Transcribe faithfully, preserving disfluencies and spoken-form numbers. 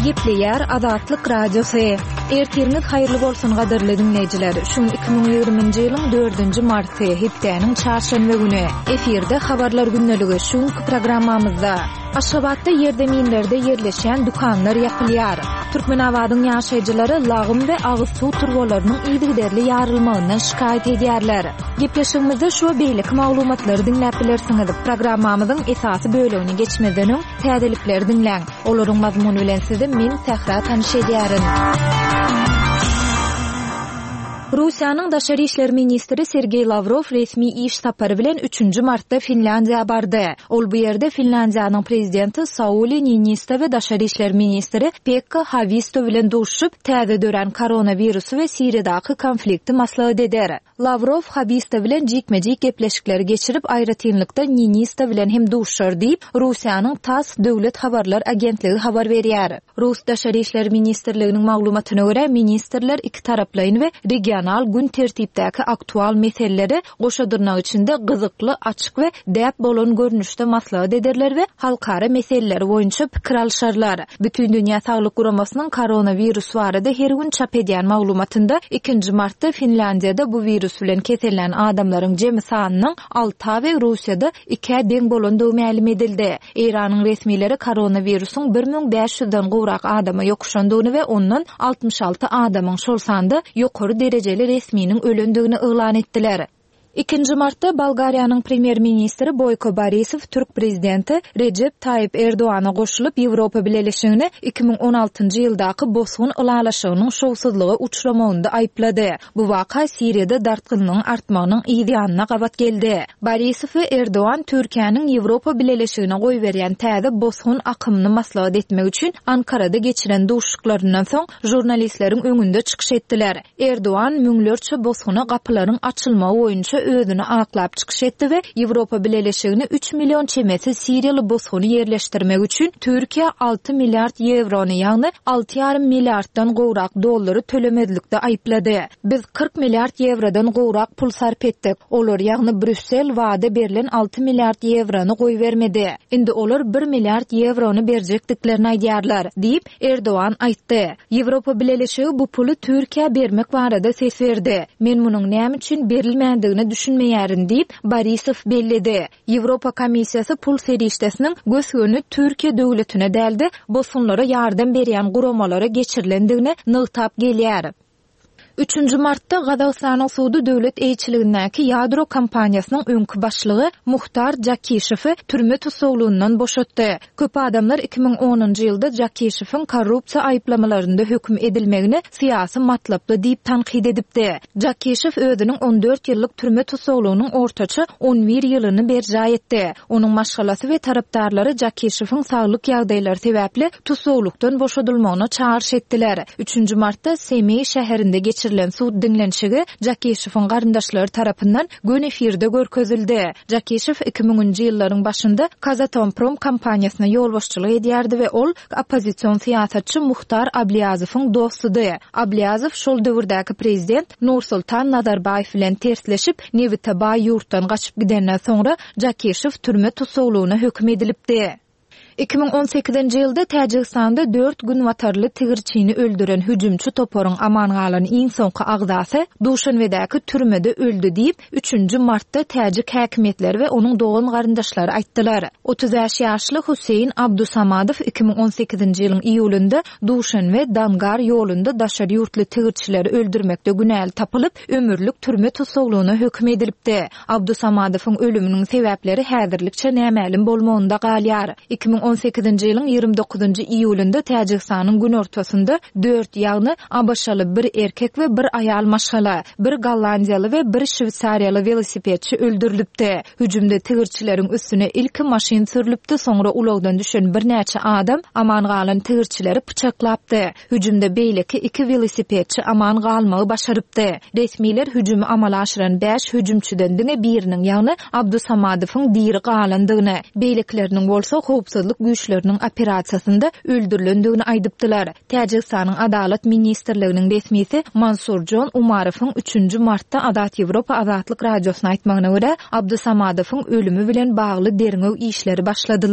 Gepleýär Azatlyk Radiosy. Ertiriňiz haýyrly bolsun gadyrly diňleýjiler. Şu gün iki müň ýigriminji ýylyň dördünji marty, hepdäniň çarşenbe güni. Efirde habarlar gündeligi şu günki programmamyzda. Aşgabatda ýerzeminlerde ýerleşýän dükanlar ýapylýar. Türkmenabadyň ýaşaýjylary lagym we agyz suw turbalarynyň yzygiderli ýarylmagyndan şikaýat edýärler. Gepleşigimizde şu we beýleki maglumatlary diňläp bilersiňiz. Programmamyzyň esasy bölegine geçmezden öň täzelikleri diňläň. Olaryň mazmuny bilen sizi men Sähra tanyş edýärin. Russiýanyň daşary işler ministri Sergeý Lawrow resmi iş sapary bilen üçünji martda Finlýandiýa bardy. Ol bu ýerde Finlýandiýanyň prezidenti Sauli Niinisto we daşary işler ministri Pekka Hawisto bilen duşuşyp, täze dörän koronawirusy we Siriýadaky konflikti maslahat eder. Lawrow Hawisto bilen jikme-jik gepleşikleri geçirip, aýratynlykda Niinisto bilen hem duşuşar diýip, Russiýanyň TASS döwlet habarlar agentligi habar berýär. Rus Daşary işler ministrliginiň maglumatyna görä, ministrler ikitaraplaýyn we regional gün tertipdäki aktual meseleleri goşa dyrnak içinde gyzykly, açyk we däp bolan görnüşde maslahat ederler we halkara meseleleri boýunça pikir alyşarlar. Bütindünýä Saglyk Guramasynyň koronawirus barada her gün çap edýän maglumatynda ikinji martda Finlýandiýada bu wirus bilen kesellän adamlaryň jemi sanynyň alta we Russiýada ikä deň bolandygy mälim edildi. Eýranyň resmileri koronawirusyň bir müň bäş ýüzden gowrak adama ýokuşandygyny we ondan altmyş alty adamyň, şol sanda ýokary derejeli resminiň ölendigini yglan etdiler. Ikinji martda Bolgariýanyň premýer-ministri Boýko Borisow türk prezidenti Rejep Taýyp Erdogana goşulyp, Ýewropa Bileleşigini iki müň on altynjy ýyldaky bosgun ylalaşygynyň şowsuzlyga uçramagynda aýyplady. Bu waka Siriýada dartgynlygyň artmagynyň yz ýanyna gabat geldi. Borisow we Erdogan Türkiýäniň Ýewropa Bileleşigine goýberýän täze bosgun akymyny maslahat etmek üçin Ankarada geçiren duşuşyklaryndan soň žurnalistleriň öňünde çykyş etdiler. Erdogan müňlerçe bosguna gapylaryň açylmagy boýunça özüni aklap çykyş etdi we Ýewropa Bileleşigini üç million çemesi siriýaly bosguny ýerleşdirmek üçin Türkiýä alty milliard ýewrony, ýagny alty ýarym milliarddan gowrak dollary tölemezlikde aýyplady. Biz kyrk milliard ýewrodan gowrak pul sarp etdik. Olar, ýagny Brýussel wada berlen alty milliard ýewrony goýbermedi. Indi olar bir milliard ýewrony berjekdiklerini aýdýarlar, diýip, Erdogan aýtdy. Ýewropa Bileleşigi bu puly Türkiýä bermek barada ses berdi. Men munuň näme üçin berilmändigine düşünmeýärin, diýip, Borisow belledi. Ýewropa Komissiýasy pul serişdesiniň gös-göni Türkiýe döwletine däl-de, bosgunlara ýardam berýän guramalara geçirilendigini nygtap gelýär. Üçünji martda Gazagystanyň sudy döwlet eýeçiligindäki ýadro kompaniýasynyň öňki başlygy Muhtar Jakişewi türme tussaglygyndan boşatdy. Köp adamlar iki müň onunjy ýylda Jakişewiň korrupsiýa aýyplamalarynda höküm edilmegini syýasy matlaply diýip tankyt edipdi. Jakişew özüniň on dört ýyllyk türme tussaglygynyň ortaça on bir ýylyny berjaý etdi. Onuň maşgalasy we tarapdarlary Jakişewiň saglyk ýagdaýlary sebäpli tussaglykdan boşadylmagyna çagyryş etdiler. Üçünji martda Semeý şäherinde geçirilen sud diňlenişigi Jakişewiň garyndaşlary tarapyndan göni efirde görkezildi. Jakişew iki müňünji ýyllaryň başynda Kazatomprom kompaniýasyna ýolbaşçylyk edýärdi we ol oppozision syýasatçy Muhtar Abliýazowyň dostudy. Abliýazow şol döwürdäki prezident Nursultan Nazarbaýew bilen tersleşip, nebite baý ýurtdan gaçyp gidenden soňra Jakişew türme tussaglygyna höküm edilipdi. Iki müň on sekizinji ýylda Täjigistanda dört günbatarly tigirçini öldüren hüjümçi toparyň aman galan iň soňky agzasy Duşanbedäki türmede öldi diýip, üçünji martda täjik häkimiýetleri we onuň dogan-garyndaşlary aýtdylar. Otuz bäş ýaşly Huseýn Abdusamadow iki müň on sekizinji ýylyň iýulynda Duşanbe Dangar ýolunda daşary ýurtly tigirçileri öldürmekde günäli tapylyp, ömürlik türme tussaglygyna höküm edilipdi. Abdusamadowyň ölüminiň sebäpleri häzirlikçe nämälim bolmagynda galýar. Iki müň on sekizinji ýylyň ýigrimi dokuzynjy iýulynda Täjigistanyň günortasynda dört, ýagny A B Ş-ly bir erkek we bir aýal maşgala, bir gollandiýaly we bir şweýsariýaly welosipedçi öldürilipdi. Hüjümde tigirçileriň üstüne ilki maşyn sürlüpdi, soňra ulagdan düşen birnäçe adam aman galan tigirçileri pyçaklapdy. Hüjümde beýleki iki welosipedçi aman galmagy başarypdy. Resmiler hüjümi amala aşyran bäş hüjümçiden diňe biriniň, ýagny Abdusamadowyň diri galandygyny, beýlekileriniň bolsa howpsuzlyk güýçleriniň operasiýasynda öldürilendigini aýdypdylar. Täjigistanyň Adalat ministrliginiň resmisi Mansurjon Umarowyň üçünji martda Azat Ýewropa Azatlyk radiosyna aýtmagyna görä, Abdusamadowyň ölümi bilen bagly derňew işleri başladyldy.